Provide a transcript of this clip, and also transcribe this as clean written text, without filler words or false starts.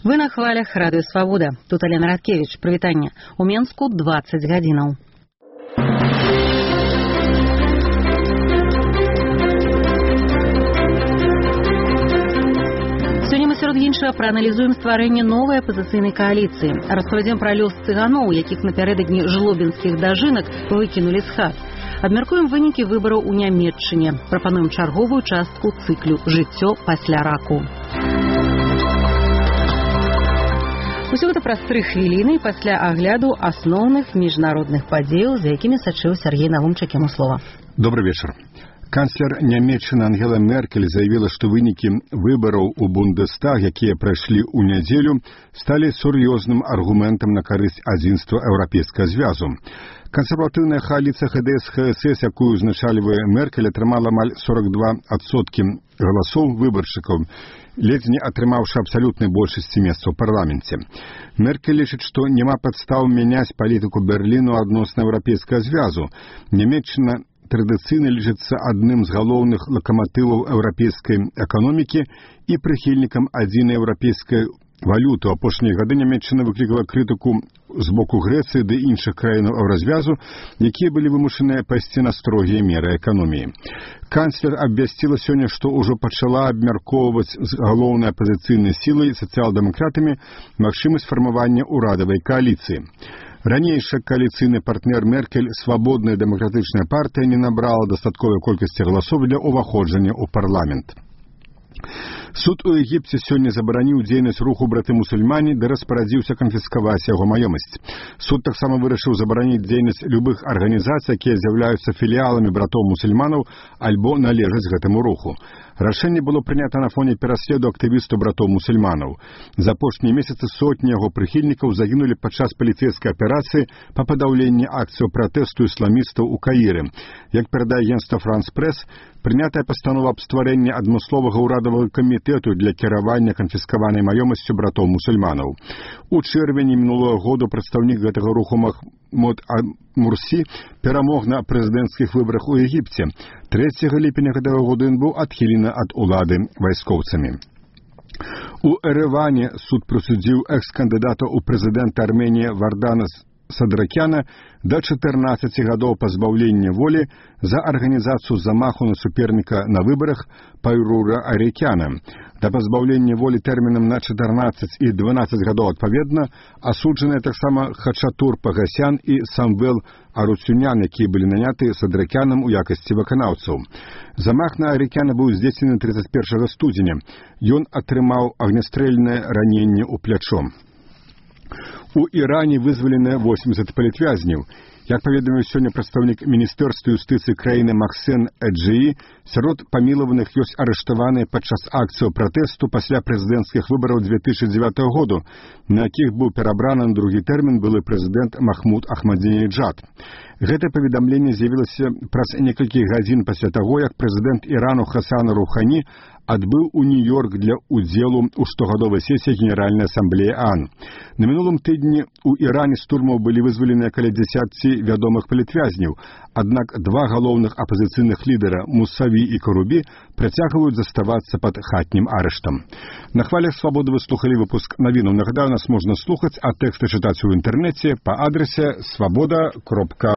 Вы на хвалях радыё Свабода. Тут Алена Радкевич. Прывітанне. У Менску 20 гадзінаў. Сёння мы сярод іншага прааналізуем стварэнне новай апазіцыйнай кааліцыі. Распавядзем пра лёс цыганоў, якіх напярэдадні жлобінскіх дажынак выкінулі з хат. Абмяркуем вынікі выбараў у Нямецчыне. Прапануем чарговую частку цыклю «Жыццё пасля раку». Усё гэта праз 3 хвіліны пасля агляду асноўных міжнародных падзеяў, за якімі сачыў Сергей Навумчык, яму слова. Добрый вечер. Канцлер Нямецчыны Ангела Меркель заявила, что вынікі выбараў у Бундестаг, якія прайшлі ў нядзелю, сталі сур'ёзным аргументам на карысць адзінства Еўрапейскага звязу. Кансерватыўная кааліцыя ХДС-ХСС, якую узначальвае Меркель, атрымала амаль 42% галасоў выбаршчыкаў, ледзь не атрымаўшы абсалютнай большасці месцаў у парламенце. Меркель лічыць, што няма падстаў мяняць палітыку Берліну адносна Еўрапейскага звязу. Нямецчына традыцыйна лічыцца адным з галоўных лакаматываў еўрапейскай эканомікі і прыхільнікам адзінай еўрапейскай валюты. У апошнія гады Нямецчына выклікала крытыку з боку Грэцыі ды іншых краінаў еўразвязу, якія былі вымушаныя пайсці на строгія меры эканоміі. Канцлер абвясціла сёння, што ўжо пачала абмяркоўваць з галоўнай апазіцыйнай сілай сацыял-дэмакратамі магчымасць фармавання ўрадавай кааліцыі. Ранейшы кааліцыйны партнер Меркель, свабодная дэмакратычная партыя, не набрала дастатковай колькасці галасоў для ўваходжання ў парламент. Суд у Егіпце сёння забараніў дзейнасць руху браты-мусульмане ды распарадзіўся канфіскаваць яго маёмасць. Суд таксама вырашыў забараніць дзейнасць любых арганізацый, якія з'яўляюцца філіаламі братоў-мусульманаў альбо належаць гэтаму руху. Рашэнне было прынята на фоне пераследу актывістаў братоў-мусульманаў. За апошнія месяцы сотні яго прыхільнікаў загінулі падчас паліцэйскай аперацыі па падаўленні акцыяў пратэсту ісламістаў у Каіры. Як перадае агенцтва «Франс-Прэс», прынятая пастанова аб стварэнні адмысловага ўрадавага камітэту для кіравання канфіскаванай маёмасцю братоў-мусульманаў. У чэрвені мінулого году прадстаўнік гэтага руху Махмуд Мурсі перамог на прэзідэнцкіх выбарах у Егіпце. 3 ліпеня гэтага года ён быў адхілены ад улады вайскоўцамі. У Эрэване суд прысудзіў экс-кандыдата ў прэзідэнта Арменіі Вардана Садракяна да 14 гадоў пазбаўлення волі за арганізацыю замаху на суперніка на выбарах Пайрура Арекяна. Да пазбаўлення волі тэрмінам на 14 і 12 гадоў адпаведна асуджаныя таксама Хачатур Пагасян і Самвел Аруцюнян, якія былі наняты Садракянам у якасці выканаўцаў. Замах на Арекяна быў здзейснены 31 студзеня. Ён атрымаў агнястрэльнае раненне ў плячо. У Іране вызвалены 80 палітвязняў. Як паведаміў сёння прадстаўнік міністэрства юстыцыі краіны Максен Эджии, сярод памілаваных ёсць арыштаваныя падчас акцыяў пратэсту пасля прэзідэнцкіх выбараў 2009 году, на якіх быў перабраны на другі тэрмін былы прэзідэнт Махмуд Ахмадзінеджад. Гэта паведамленне з'явілася праз некалькі гадзін пасля таго, як прэзідэнт Ірану Хасан Рухані адбыў у Нью-Йорк для удзелу ў штогадовай сесіі Генеральнай асамблеі ООН. На мінулым тыдні у Іране з турмаў былі вызваленыя каля 10 вядомых палітвязняў, аднак 2 галоўных апазіцыйных лідара Мусаві і Карубі працягваюць заставацца пад хатнім арыштам. На хвалях Свабоды вы слухалі выпуск навінаў. Нагадаю, нас можна слухаць, а тэксты чытаць у інтэрнэце па адрасе swaboda.org.